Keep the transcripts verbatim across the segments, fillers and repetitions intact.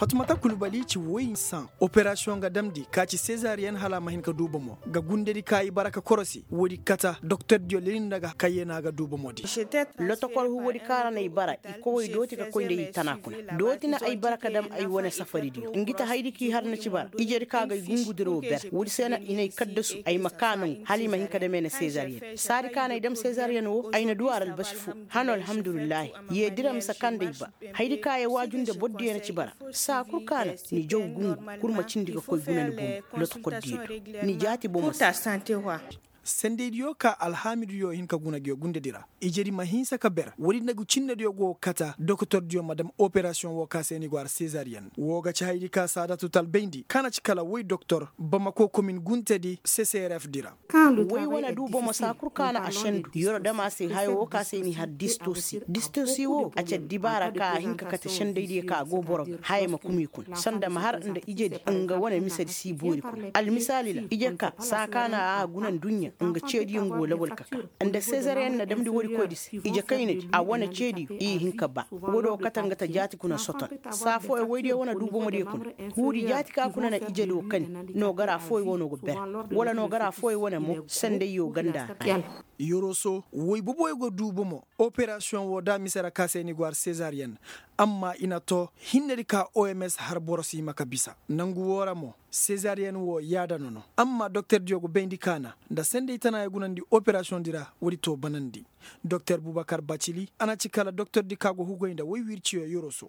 Fatumata kulbali ci woy saŋ operasiyoŋ ga damndi ka ci sezariyen hala a ma hin ka du bomo ga gundedi ka i bara ka korosi woodi kata doktordiyo leli nda ga kayyena ga du bomodi. Lotokor huwodi ka ra na ay bara i kowey dooti ka koy nda i tana kuna. Dooti na ay bara ka dam ay wane safaridiyo ngi ta haydi ka i har na ci bara ijedi ka ga ay gungudiro ber. Woodi se na i na ay kaddasu ay ma ka nangu hala i ma hin ka dam ay na sezariyen saadi ka na ay dam sezariyen wo ay na du a ra albasi fo. Hano alhamdulillahi. Yeedira mise ka nda ay ba haydi ka ya waaju nda bordiyo na ci bara. Saa kul ka na ni jaw gungu kul ma cindi ga koy guna ni bomo. Lotokordiyo do ni jaati bomo se. Sendeydiyo ka alhaamiduyo hin ka guna ngiyo gundedi ra ijedi ma hinsa ka ber woodi nda ngu cinnediyo go kata dokotordiyo ma dam operasiyoŋ wo ka se ni go har sezariyen wo ga ci haydi ka saadatu talbayndi ka na ci kala woy doktor bamako komin guntedi seserefdi ra. Woy wane du bomo saa kul ka na a sendu yoro dam a se hayo wo ka se ni har distosi distosi wo a ci addibaara ka a hin ka kate sendaydiyo ka go boro ga haya ma kuma i kuna sanda ma har nda ijedi nga wane misedi si boori kuna almisaali ra ije ka saa ka na a guna nduɲɲa nga ceediyo nga wo lawal ka ka nda sezariyen na damndi woodi koydi se ije kaynadi a wane ceediyo i hin ka ba woodi wo kate nga ta jaati kuna soton. Saa fooyo woydiyo wane du bomodiyo kuna huudi jaati ka kuna na ijedi wo kani noogara fooyo wo no go ber wala noogara fooyo wane mo sendayyo ganda ra. Yoroso woy boboyo go du bomo operasiyoŋ wo da mise ra ka se ni go har sezariyen amma i na to hinnedi ka oms har boro si hima ka bisa nangu woo ra mo sezariyen wo yaada nono amma doktordiyo go bayndi ka na nda senday tanaayo gunandi operasiyoŋdi ra woodi to banandi. Doktor bubakar bacili a na ci kala doktordi ka go hugoy nda woy wirciyo yoroso.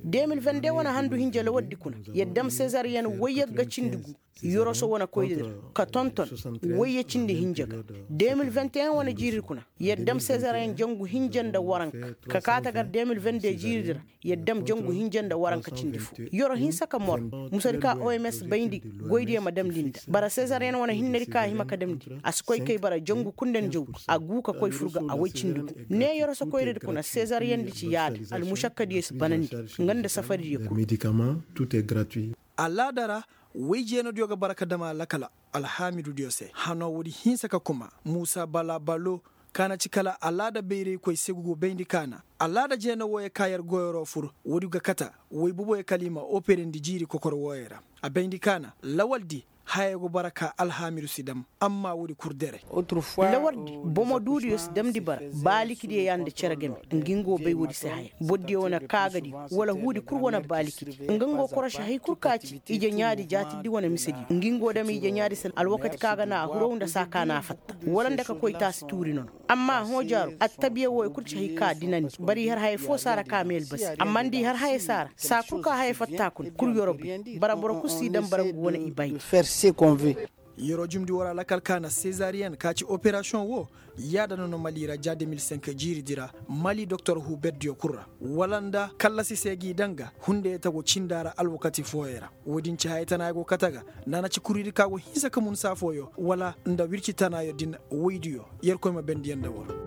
Deux mille vingt-deux wane handu hinja lawardi kuna yer dam sezariyen woy yagga cindi gu yoroso wane koydi ra ka tonton woy ya cindi hinja ga deux mille vingt et un wane jiiridi kuna yer dam sezariyen jangu hinja nda waranka ka kaa tagar deux mille vingt-deux jiiridi ra yer dam jangu hinja nda waranka cindi fo. Yoro hinsa ka mor musadi ka oms bayndi goydiyo ma damndi nda bara sezariyen wane hinnedi ka hima ka damndi a si koy kay bara jangu kunda nda jawgu a guu ka koy fur ga a woy cindi gu ne yoroso koyradi kuna sezariyendi ci yaada almušakkadiyo si banandi nga nda safaridiyo kul. Alaada ra woy jeenadiyo ga bara ka dam a lakala alhaamidudiyo se hano woodi hinsa ka kuma muusa bala balo ka na ci kala alaada bayraykoy segu go bayndi ka na alaada jeena wooyo ka yer goyoro fur woodi ga kata woy boboyo kala i ma operendi jiiri kokor wooyo ra a bayndi ka na lawaldi haya go bara ka alhaamidu si dam amma woodi kul dere. Lawardi bomo duudiyo si damndi bara baalikidiyo ya nda cere game ngi ngo bay woodi se haya bordiyo wane kaagadiyo wala huudi kul wane baalikidi nga ngo korosi hay kul ka ci ije ɲaadi jaatiddi wane misediyo ngi ngo dam ije ɲaadi se alwakati ka ga na a hurow nda saa ka na a fatta wala nda ka koy taasi tuuri nono amma hõ jaaru attabiya wooyo kul ci hay ka dinandi bari har haya foo saara ka mee albasi amma nda i har haya saara saa kul ka haya fatta kuna kul yorobi bara boro kul si dam bara ngu wane i bay. Yeroo jumndi woo ra lakal ka na sezariyen ka ci operasiyoŋ woo yaada nono mali ra ja deux mille cinq jiiridi ra mali doktor huberdiyo kul ra wala nda kallasi se g'i daŋ ga hunday tago cinda ra alwakati fooyo ra woodin ci haya tana go kate ga nda a na ci kuridi ka go hinsa ka mun saa fooyo wala nda wirci tanaayo din woydiyo yerkoy ma bendiyaŋ nda war.